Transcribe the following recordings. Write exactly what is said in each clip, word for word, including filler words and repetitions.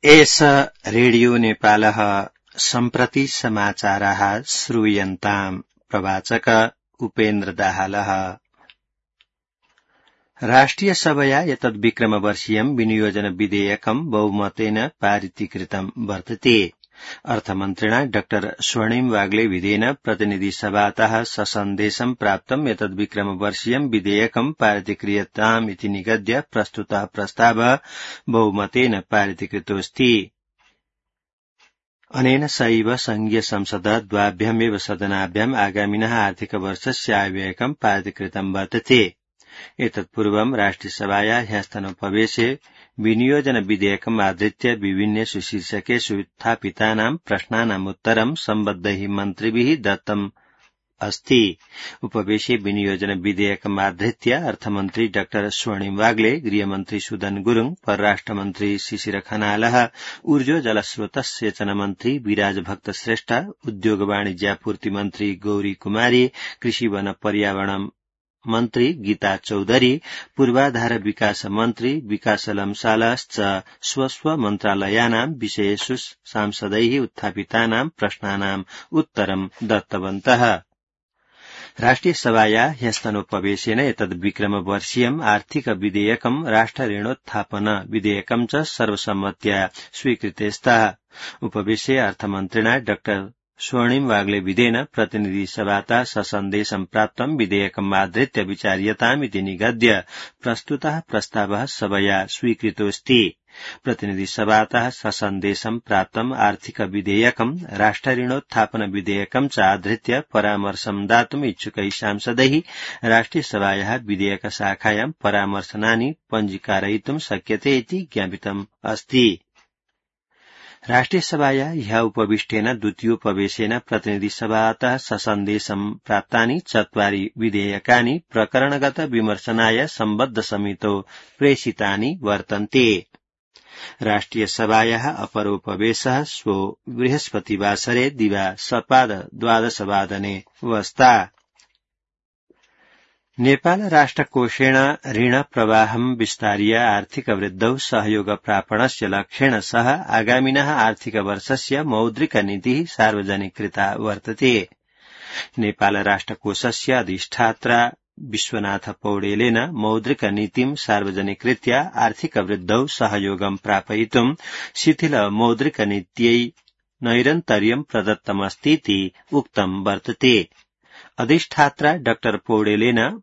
एष रेडियो नेपालः सम्प्रति समाचाराः श्रूयन्ताम्। प्रवाचक उपेन्द्र दाहालः। राष्ट्रिय सभया एतद्विक्रमवर्षीयम् विनियोजन विधेयकम् बहुमतेन पारितीकृतम् वर्तते। अर्थमन्त्रिणा डाक्टर स्वर्णिम वाग्ले विधेन प्रतिनिधिसभातः ससन्देशम् प्राप्तम् एतद्विक्रमवर्षीयम् विधेयकम् पारितीक्रियताम् इति निगद्य प्रस्तुतः प्रस्तावः बहुमतेन पारितीकृतोऽस्ति। अनेन सैव संघीय संसदः द्वाभ्यामेव सदनाभ्याम् आगामिनः आर्थिकवर्षस्य आयव्ययकम् पारितीकृतम् वर्तते। एतत्पूर्वम् राष्ट्रियसभाया ह्यस्तनोपवेशे विनियोजन विधेयकम् आधृत्य विभिन्नेषु शीर्षकेषु उत्थापितानाम् प्रश्नानाम् उत्तरम् सम्बद्धैः मन्त्रिभिः दत्तम् अस्ति। उपवेशे विनियोजन विधेयकम् आधृत्य अर्थमन्त्री डाक्टर स्वर्णिम वाग्ले, गृहमन्त्री सुदन गुरुङ, परराष्ट्रमन्त्री शिशिर खनालः, ऊर्जो जलस्रोत सेचन मन्त्री विराज भक्त श्रेष्ठ, उद्योग वाणिज्यापूर्ति मन्त्री गौरी कुमारी, कृषि वन पर्यावरण मन्त्री गीता चौधरी, पूर्वाधार विकास मन्त्री विकास लम्सालश्च स्वस्व मन्त्रालयानाम् विषयेषु सांसदैः उत्थापितानाम् प्रश्नानाम् उत्तरम् दत्तवन्तः। राष्ट्रियसभाया ह्यस्तनोपवेशेन एतद्विक्रमवर्षीयम् आर्थिक विधेयकम् राष्ट्र ऋणोत्थापन विधेयकम् च सर्वसम्मत्या स्वीकृते स्तः। उपवेशे अर्थमन्त्रिणा डाक्टर स्वर्णिम वाग्ले विधेन प्रतिनिधिसभातः ससन्देशम् प्राप्तम् विधेयकम् आधृत्य विचार्यताम् इति निगद्य प्रस्तुतः प्रस्तावः सभया स्वीकृतोऽस्ति। प्रतिनिधिसभातः ससन्देशम् प्राप्तम् आर्थिक विधेयकम् राष्ट्र ऋणोत्थापन विधेयकम् च आधृत्य परामर्शम् दातुम् इच्छुकैः सांसदैः राष्ट्रियसभायाः विधेयक शाखायाम् परामर्शनानि पञ्जीकारयितुम् शक्यते इति ज्ञापितम् अस्ति। राष्ट्रियसभाया ह्यः उपविष्टेन द्वितीयोपवेशेन प्रतिनिधिसभातः ससन्देशम् प्राप्तानि चत्वारि विधेयकानि प्रकरणगत विमर्शनाय सम्बद्ध समितौ प्रेषितानि वर्तन्ते। राष्ट्रियसभायाः अपरोपवेशः श्वो बृहस्पतिवासरे दिवा सपाद द्वादशवादने वस्ता। नेपाल राष्ट्रकोषेण ऋण प्रवाहम् विस्तार्य आर्थिक वृद्धौ सहयोग प्रापणस्य लक्ष्येण सह आगामिनः आर्थिकवर्षस्य मौद्रिक नीतिः सार्वजनिकृता वर्तते। नेपाल राष्ट्रकोषस्य अधिष्ठात्रा विश्वनाथ पौडेलेन मौद्रिक नीतिम् सार्वजनिकृत्य आर्थिक वृद्धौ सहयोगम् प्रापयितुम् शिथिल मौद्रिक नीत्यै नैरन्तर्यम् प्रदत्तमस्तीति उक्तम् वर्तते। अधिष्ठात्रा डाक्टर पौडेलेन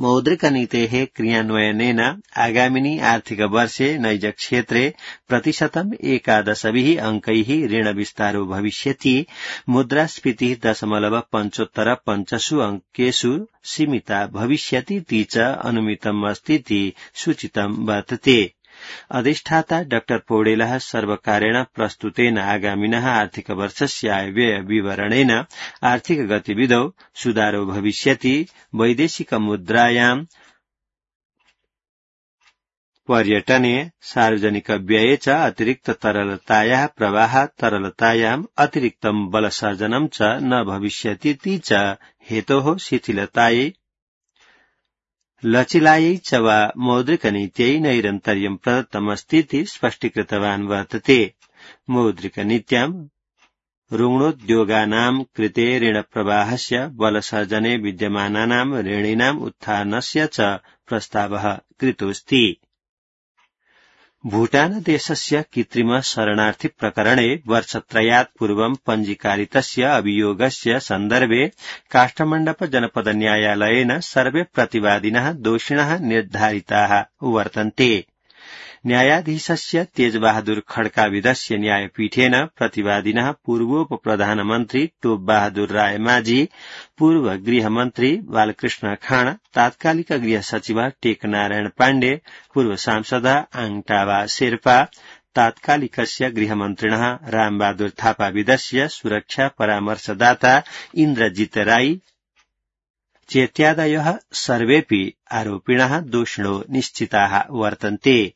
मौद्रिकनीतेः क्रियान्वयनेन आगामिनि आर्थिकवर्षे नैजक्षेत्रे प्रतिशतम् एकादशभिः अङ्कैः ऋणविस्तारो भविष्यति, मुद्रास्फीतिः दशमलव पञ्चोत्तर पञ्चसु अङ्केषु सीमिता भविष्यतीति च अनुमितम् अस्तीति सूचितम् वर्तते। अधिष्ठाता डाक्टर पौडेलः सर्वकारेण प्रस्तुतेन आगामिनः आर्थिकवर्षस्य आयव्यय विवरणेन आर्थिक गतिविधौ सुधारो भविष्यति, वैदेशिक मुद्रायाम् पर्यटने सार्वजनिक व्यये च अतिरिक्त तरलतायाः प्रवाह तरलतायाम् अतिरिक्तम् बलसर्जनम् च न भविष्यतीति च हेतोः शिथिलतायै लचिलायै च वा मौद्रिकनीत्यै नैरन्तर्यम् प्रदत्तमस्तीति स्पष्टीकृतवान् वर्तते। मौद्रिकनीत्याम् ऋणोद्योगानाम् कृते ऋणप्रवाहस्य बलसर्जने विद्यमानानाम् ऋणीनाम् उत्थानस्य च प्रस्तावः कृतोऽस्ति। भूटान देशस्य कृत्रिम शरणार्थी प्रकरणे वर्षत्रयात् पूर्वं पञ्जीकारितस्य अभियोगस्य सन्दर्भे काष्ठमण्डप जनपद न्यायालयेन सर्वे प्रतिवादिनः दोषिणः निर्धारिताः वर्तन्ते। न्यायाधीशस्य तेजबहादुर खड्काविदस्य न्यायपीठेन प्रतिवादिनः पूर्वोपप्रधानमन्त्री टोप बहादुर राय माझी, पूर्व गृहमन्त्री बालकृष्ण खाँड, तात्कालिक गृह सचिव टेकनारायण पाण्डे, पूर्व सांसद आङटावा शेर्पा, तात्कालिकस्य गृहमन्त्रिणः रामबहादुर थापाविदस्य सुरक्षा परामर्शदाता इन्द्रजित राई चेत्यादयः सर्वेऽपि आरोपिणः दोषिणो निश्चिताः वर्तन्ते।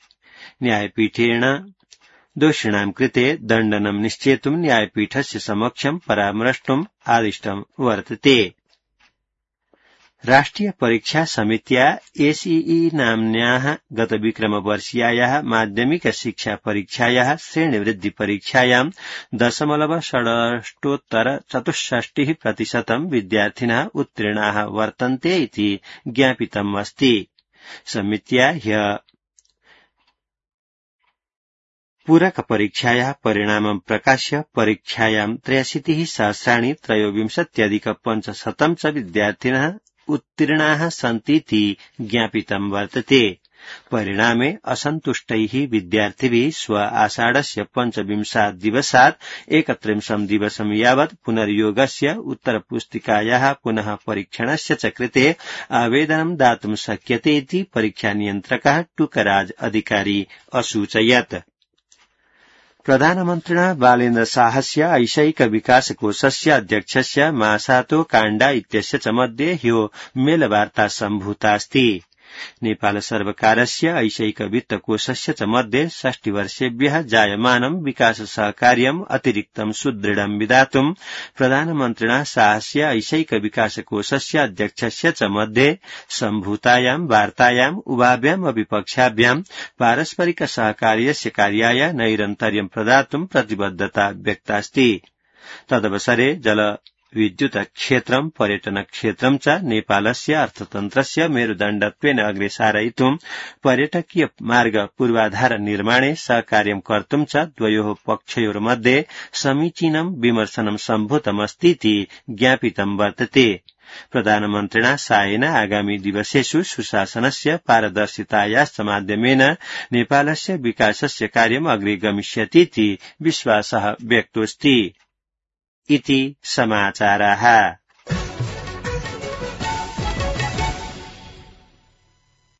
न्यायपीठेन दोषिणाम् कृते दण्डनम् निश्चेतुम् न्यायपीठस्य समक्षम् परामर्ष्टुम् आदिष्टम् वर्तते। राष्ट्रिय परीक्षा समित्या एसईई नाम्न्याः गतविक्रमवर्षीयायाः माध्यमिक शिक्षा परीक्षायाः श्रेणीवृद्धि परीक्षायां दशमलव षडष्टोत्तर चतुष्षष्टिः प्रतिशतं विद्यार्थिनः उत्तीर्णाः वर्तन्ते इति ज्ञापितम् अस्ति। समित्या ह्यः पूरक परीक्षायाः परिणामं प्रकाश्य परीक्षायां त्रयाशीतिः सहस्राणि त्रयोविंशत्यधिक पञ्चशतं च विद्यार्थिनः उत्तीर्णाः सन्तीति ज्ञापितं वर्तते। परिणामे असन्तुष्टैः विद्यार्थिभिः स्व आषाढस्य पञ्चविंशात् दिवसात् एकत्रिंशं दिवसं यावत् पुनर्योगस्य उत्तरपुस्तिकायाः पुनः परीक्षणस्य च कृते आवेदनं दातुं शक्यते इति परीक्षानियन्त्रकः टुकराज अधिकारी असूचयत्। प्रधानमन्त्रिणा बालेन्द्र शाहस्य ऐशैक विकासकोषस्य अध्यक्षस्य मासातो काण्डा इत्यस्य च मध्ये ह्यो मेलवार्ता सम्भूतास्ति। नेपाल सर्वकारस्य ऐशैक वित्तकोषस्य च मध्ये षष्टिवर्षेभ्यः जायमानं विकास सहकार्यम् अतिरिक्तं सुदृढं विधातुं प्रधानमन्त्रिणा शाहस्य ऐशैक विकासकोषस्य अध्यक्षस्य च मध्ये सम्भूतायां वार्तायाम् उभाभ्याम् अपि पक्षाभ्यां पारस्परिक सहकार्यस्य कार्याय नैरन्तर्यं प्रदातुं प्रतिबद्धता व्यक्तास्ति। तदवसरे जल विद्युत क्षेत्रं पर्यटन क्षेत्रं च नेपालस्य अर्थतन्त्रस्य मेरुदण्डत्वेन अग्रे सारयितुं पर्यटकीय मार्ग पूर्वाधार निर्माणे सहकार्यं कर्तुं च द्वयोः पक्षयोर्मध्ये समीचीनं विमर्शनं सम्भूतमस्तीति ज्ञापितं वर्तते। प्रधानमन्त्रिणा शाहेन आगामी दिवसेषु सुशासनस्य पारदर्शितायाश्च माध्यमेन नेपालस्य विकासस्य कार्यम् अग्रे गमिष्यतीति विश्वासः व्यक्तोऽस्ति। इति समाचाराः।